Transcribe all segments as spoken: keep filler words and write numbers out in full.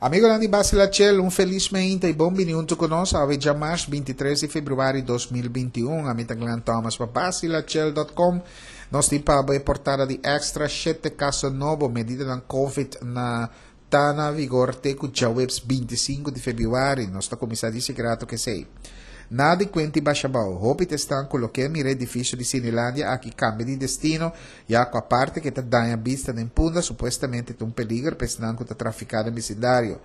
Amigonan di Basila Chel, un felis mainta i bon bini huntu ku nos awe djamars binti tres di febrüari dos mil binti un. Ami ta Glenn Thomas pa basilachel dot com. Nos tin pa bo e portada di Extra shete kaso nobo, medidanan Covid na ta na vigor te ku djaweps binti sinku di febrüari. Nos ta kuminsá di sigrato ku esei. Nada di kuenta i basha abou. Hopi ta esnan ku loke a mira edifisio di Cinelandia aki kambia di destino, ya ku aparte ku e ta daña bista den Punda, supuestamente ta un peliger pa esnan ku ta trafiká den bisindario.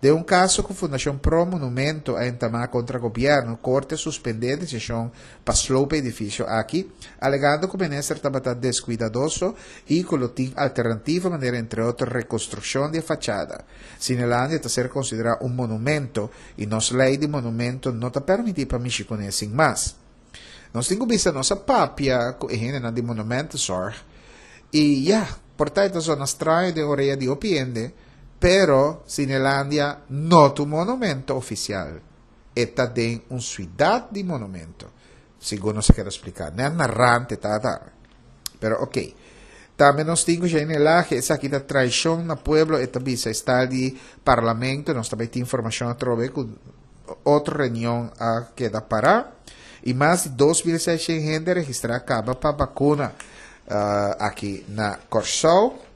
Den un kaso ku Fundashon Pro Monumento a entamá kontra gobièrnu, korte a suspendé e desishon pa sloop e edifisio aki, alegando ku minister tabata deskuidadoso i ku lo tin alternativa manera entre otro rekonstrukshon di e fachada. Cinelandia ta ser konsiderá un monumento i nos lei di monumento no ta permití pa mishi kuné sin mas. Nos tin ku bisa nos a papia ku e hendenan di Monumentenzorg i ya, por ta e ta zona straño den orea di hopi hende, pero Cinelandia no ta un monumento ofisial. E ta den un suidat di monumento, segun nos a keda spliká. Nèt na rant e ta tambe. Pero oké. Tambe nos tin ku Jeanine Lage, esaki ta traishon na pueblo, e ta bisa estal di parlamento, nos ta bai tin informashon atrobe ku otro reunion a keda pará. I mas di dos mil seishent hende a registrá kaba pa bakuna aki na Kòrsou.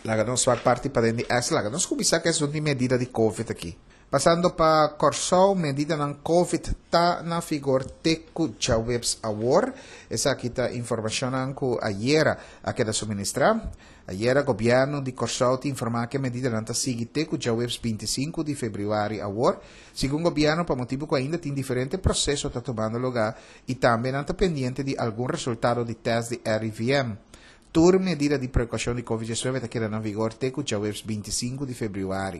Laga nos wak parti paden di es, laga nos kuminsá ku esun di medida di Covid aki. Pasando pa Kòrsou, medidanan Covid ta na vigor te ku djaweps awor. Esaki ta informashonnan ku ayera a keda suministrá. Ayera gobièrnu di Kòrsou ta informá ku e medidanan ta sigui te ku djaweps binti sinku di febrüari awor. Segun gobièrnu, pa motibu ku ainda tin diferente proseso ta tumando lugá i tambe nan ta pendiente di algun resultado di tèst di R I V M. Tur medida di prekoushon di Covid diesnuebe ta keda na vigor te ku djaweps binti sinku di febrüari.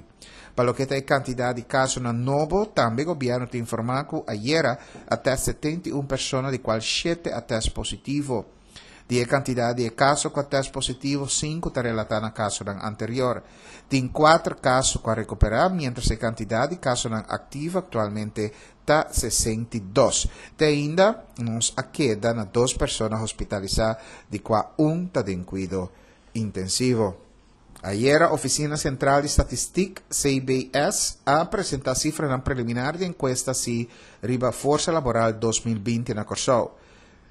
Pa loke ta e kantidat di kasonan nobo, tambe gobièrnu ta informá ku ayera a tèst setenta i un persona di kual shete a tèst positivo. Di e kantidat di e kaso ku a tèst positivo, sinku ta relatá na kasonan anterior. Tin kuater kaso ku a rekuperá, miéntras e kantidat di kasonan aktivo aktualmente ta sesenta i dos. Te ainda nos a keda na dos persona hospitalisá, di kua un ta den kuido intensivo. Ayera Ofisina Sentral di Statistik, C B S, a presentá sifranan preliminar di enkuesta si riba forsa laboral dos mil binti na Kòrsou.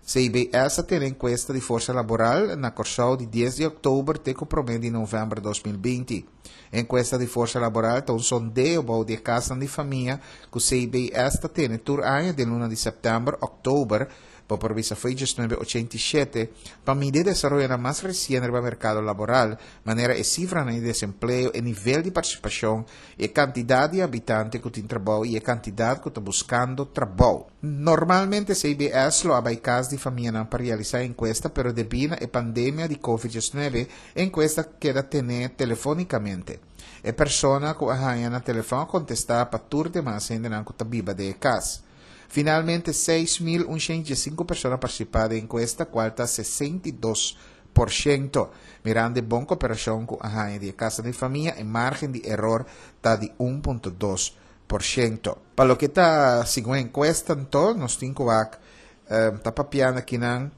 C B S a tene enkuesta di forsa laboral na Kòrsou di dies di òktober te ku promé di novèmber dos mil binti. Enkuesta di forsa laboral ta un sondeo bou di e kasnan di famia ku C B S ta tene tur aña den luna di sèptèmber, òktober, bo por bisa fo'i diesnuebe ochenta i shete, pa midi e desaroyonan mas resien riba merkado laboral, manera e sifranan di desempleo, e nivel di partisipashon, e kantidat di habitante ku tin trabou i e kantidat ku ta buskando trabou. Normalmente C B S lo a bai kas di famianan pa realisá e enkuesta, pero debí na e pandemia di covid diesnuebe, e enkuesta keda tené telefónikamente. E persona ku a haña na telefòn a kontestá pa tur demas hendenan ku ta biba den e kas. Finalmente, seis mil un shen diesinku persona a partisipá den e enkuesta, kual ta sesenta i dos por shento. Mirando e bon kooperashon ku a haña di e kasa di famia, e margen di eror ta di un punto dos por shento. Pa loke ta segun e enkuesta, anto, nos tin ku wak, eh, ta papiando akinan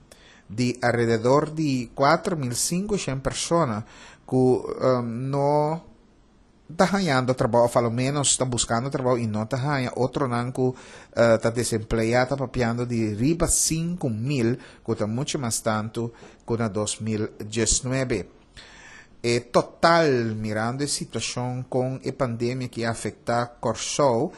di alrededor di kuater mil sinku shen persona ku, eh, no ta hañando trabou, of a lo menos ta buscando trabou y no ta haña. Otronan ku, eh, ta desempleá, ta papiando di riba sinku mil, ku ta mucho mas tantu ku na dos mil diesnuebe. E total, mirando e situacion con e pandemia que afecta Kòrsou,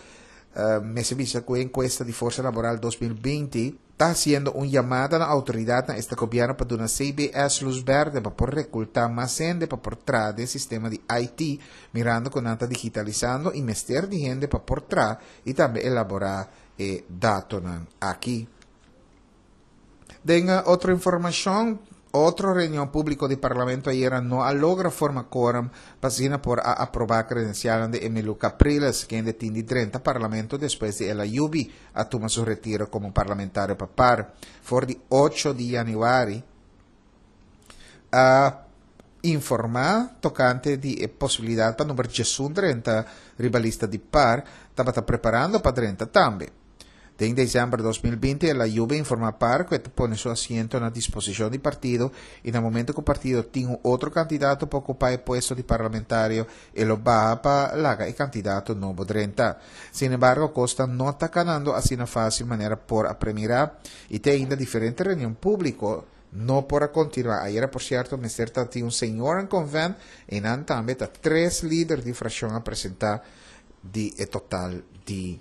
eh, me se bisa ku encuesta di Forza Laboral dos mil binti ta haciendo un llamada na autoridad na este gobierno pa duna C B S luz verde pa por reclutar mas hende pa por tra den sistema di I T, mirando cu nan ta digitalizando y mester di hende pa por tra y tambe elabora e datonan aki. Den, eh, otra informacion, otro reunión público di Parlamento ayer no a logra forma quórum pa asina por a aprobar credencial de Emilio Capriles, quien de tindi treinta Parlamento después de El Ayubi a toma su retiro como parlamentario papar. For di ocho di januari a informa tocante di e posibilidad pa number diesun treinta riba lista di par, tabata preparando pa treinta tambe. Den december dos mil binti, el a yuda informa par cu e ta pone su asiento na disposicion di partido y na momento cu e partido tin un otro candidato pa ocupa e puesto di parlamentario, e lo baha pa laga e candidato nobo drenta. Sin embargo, cos no ta canando asina facil manera por a premira y tin ainda diferente reunion publico no por a continua. Ayera, por cierto, mester tin un seniorenconvent y nan tambe ta tres lider di fraccion a presenta di e total di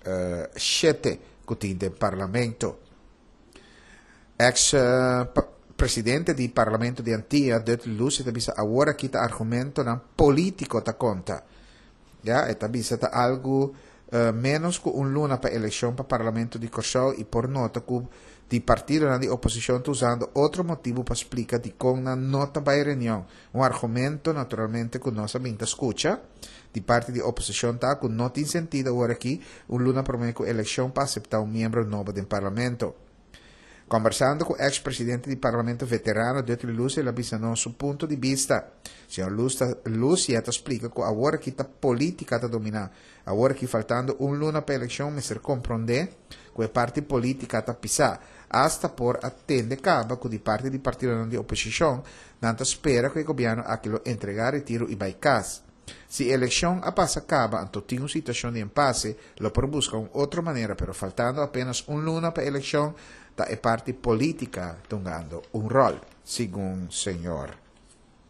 uh, shete cu tin den parlamento. Ex uh, presidente di parlamento di Antia, Dudley Lucia, ta bisa awor aki ta argumentonan politico ta conta. Ja, e ta bisa ta algo uh, menos cu un luna pa eleccion pa parlamento di Corsou y por nota cu di partido di oposicion ta usando otro motibo pa splica di con nan no ta bay reunion. Un argumento, naturalmente, cu nos a bin ta scucha di parti di oposicion ta cu no tin sentido awor aki, un luna prome cu eleccion, pa acepta un miembro nobo di parlamento. Conversando cu ex-presidente di parlamento veterano Dudley Lucia, el a bisa nos su punto di bista. Señor Lucia ta splica cu awor aki ta politica ta domina. Awor aki, faltando un luna pa eleccion, mester comprende cu e parti politica ta pisa. Hasta por a tende caba cu di parti di partido di oposicion, nan ta spera cu e gobierno aki lo entrega retiro y bay cas. Si eleccion a pasa caba, anto tin un situacion di impasse, lo por busca un otro manera, pero faltando apenas un luna pa eleccion, ta e parti politica tungando un rol, segun señor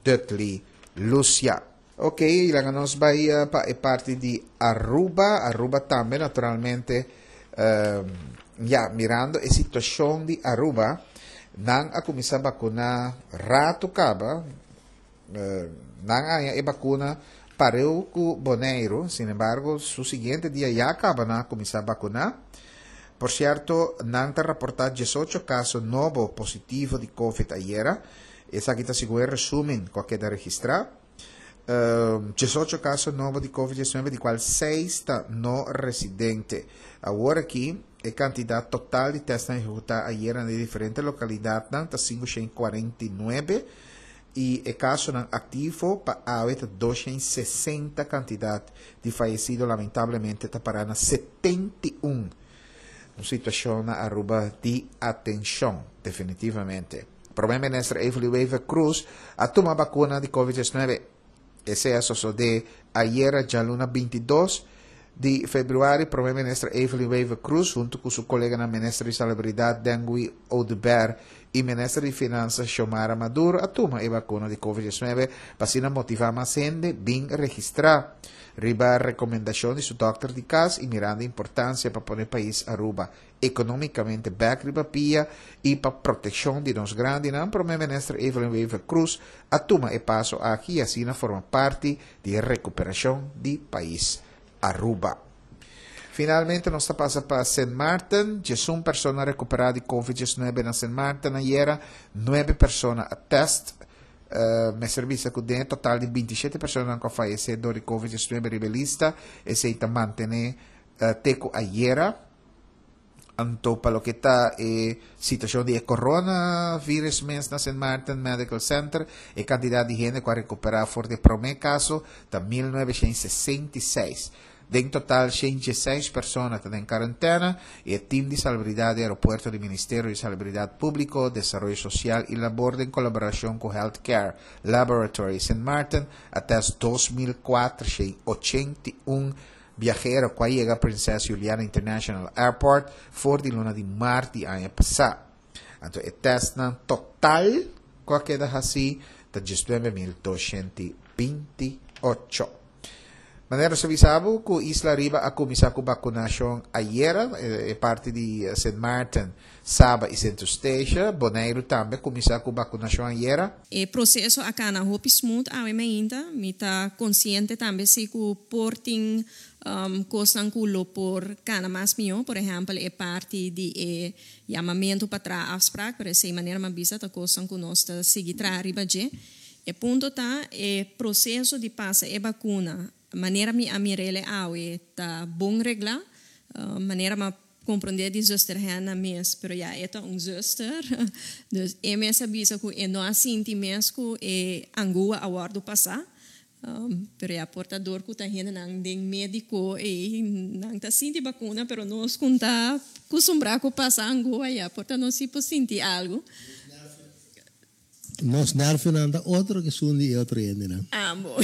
Dudley Lucia. Ok, laga nos bay pa e parti di Aruba. Aruba tambe, naturalmente, um, ja, mirando e situacion di Aruba, nan a cuminsa vacuna rato caba, uh, nan a e vacuna pareu cu Boneiro, sin embargo, su siguiente dia ya caba nan a cuminsa vacuna. Por cierto, nan ta reporta diesocho caso nobo positivo di COVID ayera. Esaki ta segun e resumen cu a keda registra. Um, diesocho caso nobo di COVID diesnuebe, di cual seis ta no residente. Awor aki, e cantidad total di test ehecuta ayera den diferente localidad ta cinco shen cuarenta y nuebe y e caso activo pa awe ta dos shen sesenta. Cantidad di fayecido lamentablemente ta para na setenta y un. Un situacion na Aruba di atencion, definitivamente. Prome Minister Evelyn Wever-Croes a tuma vacuna di COVID diesnuebe. Esey a sucede ayera, dialuna bintidos di februari. Prome Minister Evelyn Wever-Croes, hunto cu su colega na Minister di Salubridad Dangui Oduber y Minister di Finansa Xiomara Maduro, a tuma e vacuna di COVID diesnuebe pa asina motiva mas hende bin registra. Riba recomendacion di su dokter di cas y mirando e importancia pa pone pais Aruba economicamente bek riba pia y pa proteccion di nos grandinan, Prome Minister Evelyn Wever-Croes a tuma e paso aki y asina forma parti di recuperacion di pais Aruba. Finalmente, nos ta pasa pa Saint Martin. Un persona recupera di COVID diesnuebe na Saint Martin ayera, nuebe persona a test. Uh, mester bisa cu den total di binti shete persona cu a fayece di COVID diesnuebe riba lista, esey ta mantene uh, te cu ayera. Anto, pa loke ta e situacion di coronavirus mes na Saint Martin Medical Center, e cantidad di hende cu a recupera for di prome caso ta mil nuebe shen sesenta y seis. Den total, shen diesseis persona ta den cuarentena y e team di salubridad di aeropuerto di Ministerio di Salubridad Publico, Desaroyo Social y Labor den colaboracion cu Healthcare Laboratory Saint Martin a test dos mil cuater shen ochenta y un viahero cu a yega Princess Juliana International Airport for di luna di maart di aña pasa. Anto, e test nan total cu a keda haci ta diesnuebe mil dos shen binti ocho. Manera nos a bisa bo cu Isla Riba a cuminsa cu vacunacion ayera, e parti di Saint Martin, Saba y Sint Eustatius. Boneiro tambe a cuminsa cu vacunacion ayera. E proceso a cana hopi smooth awe mainta, mi ta consciente tambe si cu por tin um, cosnan cu lo por cana mas miho, por ehempel, e parti di e yamamento pa traha afspraak, pero esey, manera m'a bisa, ta cosnan cu nos ta sigui traha riba dje. E punto ta e proceso di pasa e vacuna, manera mi a mir'e awe, ta bon regla, uh, manera m'a comprende di zuster Hanna mes, pero ja, e ta un zuster, dus e mes a bisa cu e no a sinti mes cu e angua a wordo pasa. Um, pero ya por ta dor ku ta hendenan den médiko i nan ta sinti bakuna, pero nos ku ta kustumbrá ku pasa angua, ya por ta nos sí por sinti algu. Nos nervionan ta otro ku esun di otro hendenan. Ah, bon.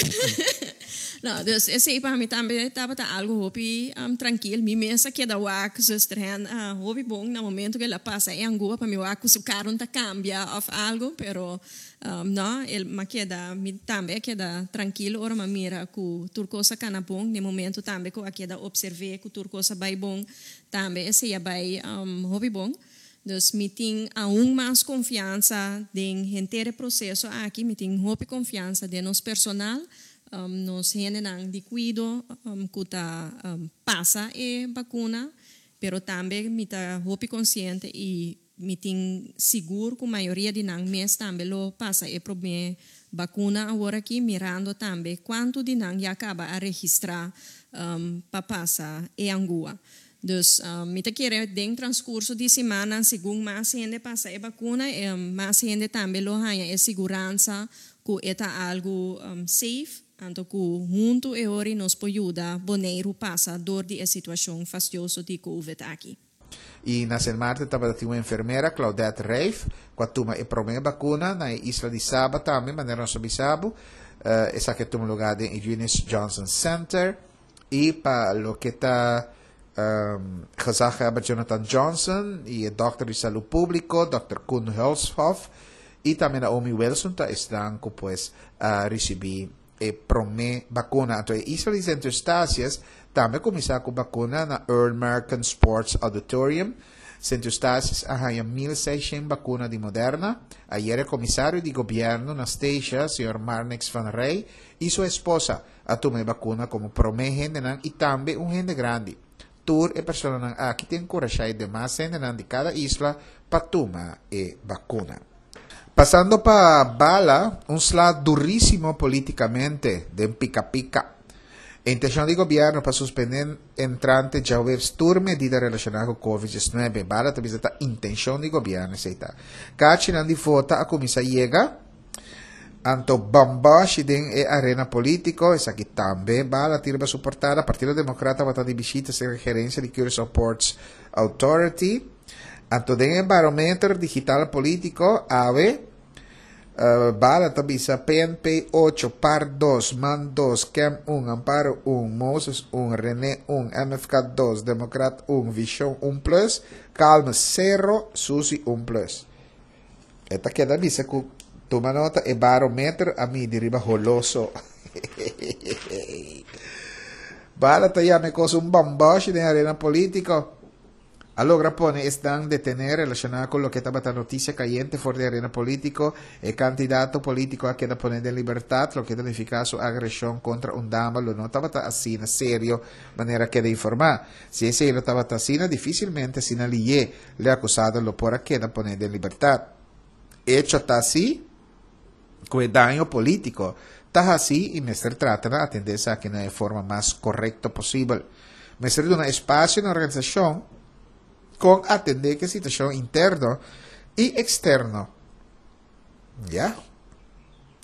No, dus esei pa mi tambe tabata algu hopi um, trankil. Mi mes a keda wak zuster Hen uh, hopi bon na momento ku el a pasa e angua pa mi wak ku su kara ta kambia òf algu, pero um, no, el m'a keda mi tambe a keda trankil ora m'a mira ku tur kos a kana bon, na momento tambe ku a keda opservá ku tur kos a bai bon, tambe esei a bai um, hopi bon. Dus mi tin aun mas konfiansa den henter e proseso aki, mi tin hopi konfiansa den nos personal, um, nos hendenan di kuido um, ku ta um, pasa e bakuna, pero tambe mi ta hopi konsiente i mi tin sigur ku mayoria di nan mes tambe lo pasa e promé bakuna awor aki, mirando tambe kuantu di nan ya kaba a registrá um, pa pasa e angua. Dus um, mi ta kere den transkurso di siman, segun mas hende pasa e bakuna, um, mas hende tambe lo haña e siguransa ku e ta algu um, safe, anto ku huntu e ora nos por yuda Boneiru pasa dor di e situashon fastioso di COVID aki. I na Sint Maarten tabatin un enfermera, Claudette Reif, ku a tuma e promé bakuna na isla di Saba tambe, manera nos a bisa bo, uh, esaki a tuma lugá na Eunice Johnson Center, i pa loke ta um, gezaghebber Jonathan Johnson i e dòkter di salú públiko, dòkter Koen Hulshoff, i tambe Naomi Wilson ta esnan ku pues a risibí e promé bakuna. Anto, isla di Sint Eustatius tambe a kuminsá ku bakuna na Earl American Sports Auditorium. Sint Eustatius a haña mil seishent bakuna di Moderna. Ayera komisario di gobièrnu na Statia, señor Marnix van Rij, i su esposa a tuma e bakuna komo promé hendenan i tambe un hende grandi. Tur e personanan aki ta enkurashá e demas hendenan di kada isla pa tuma e bakuna. Pasando pa Bala, un sla durísimo polítikamente, den pika pika. Intenshon di gobièrnu pa suspendé entrante djaweps tur medida relashoná ku COVID diesnuebe. Bala tambe ta intenshon di gobièrnu, ta. Karchinan di vota a kuminsá yega. Anto bambashi den e arena polítiko, esaki tambe Bala ta riba su portada. Partido Demókrata tabata di bishita serka gerensia di Curaçao Ports Authority. Anto den barometer digital polítiko, awe, uh, Bala ta bisa P N P ocho, PAR dos, MAN dos, KEM un, Amparo un, Moses un, René un, M F K dos, Democrat un, Vision un plus, Calma sero, Susi un plus. E ta keda bisa ku tuma nota e barometer a midi riba holoso. Bala ta yama kos un bambashi den arena polítiko. A logra pone esnan detené relashoná ku loke tabata notisia kayente for di arena polítiko. E kandidato polítiko a keda poné den libertat, loke ta nifiká su agreshon kontra un dama lo no tabata asina serio manera a keda informá. Si esei lo tabata asina, difísilmente asina lihé e akusado lo por a keda poné den libertat. Echo ta asina, ku e daño polítiko ta asina i mester trata di atendé esaki na forma mas korekto posibel. Mester duna espasio na organisashon ku atendé ku e situashon interno i eksterno. Ya?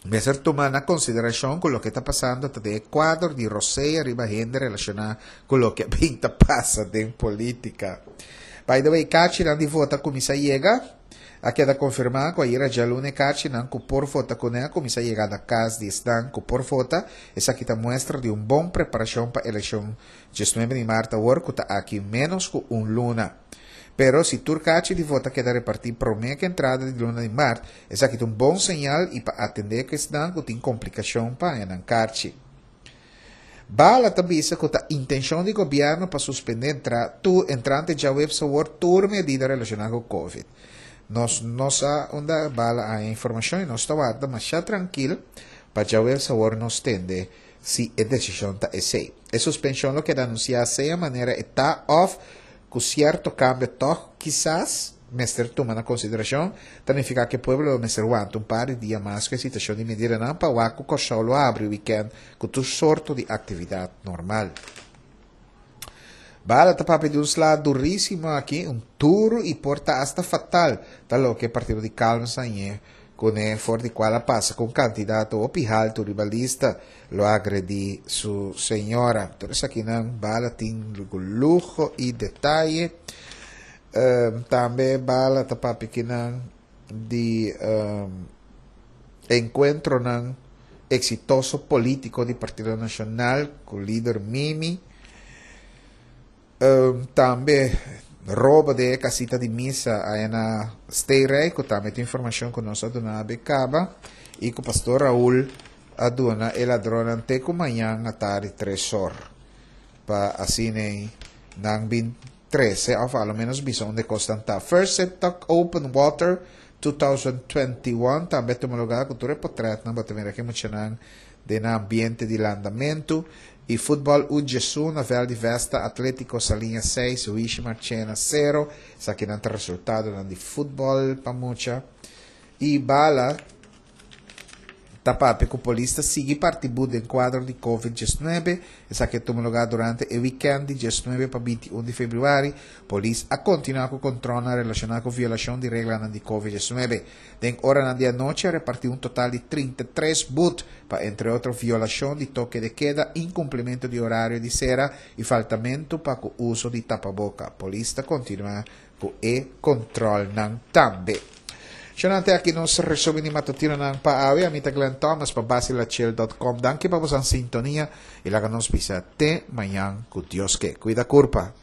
Mester tuma na konsiderashon ku loke ta pasando ta den kuadro di rosea riba hende relashoná ku loke bin ta pasa den polítika. By the way, karchinan di vota a kuminsá yega. A keda konfirmá ku ayera djaluna karchinan ku por vota kuné a kuminsá yega na kas di esnan ku por vota. Esaki ta muestra di un bon preparashon pa elekshon diesnuebe di mart awor ku ta aki ménos ku un luna. Pero si tur karchi di vota keda repartí promé ku entrada di luna di mart, esaki ta un bon señal i pa atendé ku esnan ku tin komplikashon pa haña karchi. Bala ta bisa ku ta intenshon di gobièrnu pa suspendé entra, tu, entrante djaweps awor tur medida relashoná ku COVID. Nos no sa unda Bala a informashon i nos ta warda masha trankil pa djaweps awor nos tende si e desishon ta esei. E suspenshon lo keda anunsiá sea manera e ta òf ku sierto kambio toch kisas mester tuma na konsiderashon, ta nifiká ku pueblo mester wanta un par di dia mas ku e situashon di medidanan pa wak ku Kòrsou lo habri weekend ku tur sorto di aktividat normal. Bala ta papia di un sla durísimo aki, un duru i por ta hasta fatal, ta loke partido di Calmes a haña. Kuné for di kual a pasa ku un kandidato hopi haltu riba lista lo a agredí su señora. Tur esakinan Bala tin luho i detaye. Um, tambe Bala ta papia akinan di um, enkuentronan eksitoso polítiko di Partido Nashonal ku lider Mimi. Um, tambe robo di kasita di misa ei na Stay ku tambe tin informashon ku nos a duna kaba i ku pastor Raul a duna e ladronnan te ku mañan atardi tres or pa asina nan bin trese òf alo menos bisa unda kos ta. First Set Talk Open Water dos mil bintiun tambe a tuma lugá ku tur portrèt nan bo ta mira aki muchanan den ambiente di landamentu. I futbòl U diesun na vèlt di Vesta, Atlétiko Saliña seis, Wishi Marchena sero. Esakinan ta resultadonan di futbòl pa mucha. I Bala ta papia ku polis ta sigui parti but den kuadro di COVID diesnuebe. Esaki a tuma lugá durante e weekend di diesnuebe pa bintiun di febrüari. Polis a kontinuá ku kontròl relashoná ku violashon di regla di COVID diesnuebe. Den oranan di anochi a repartí un total di trinta i tres but pa, entre otro, violashon di toke de keda, inkumplimentu di orario di sera i faltamentu pa uso di tapaboka. Polis ta kontinuá ku e kontròlnan tambe. Shonante aki nos resúmen di matutinonan pa awe. Ami ta Glenn Thomas pa basilachel punto com. Danki pa boso sintonia i laga nos bisa te mañan ku Dios ke. Kuida kurpa.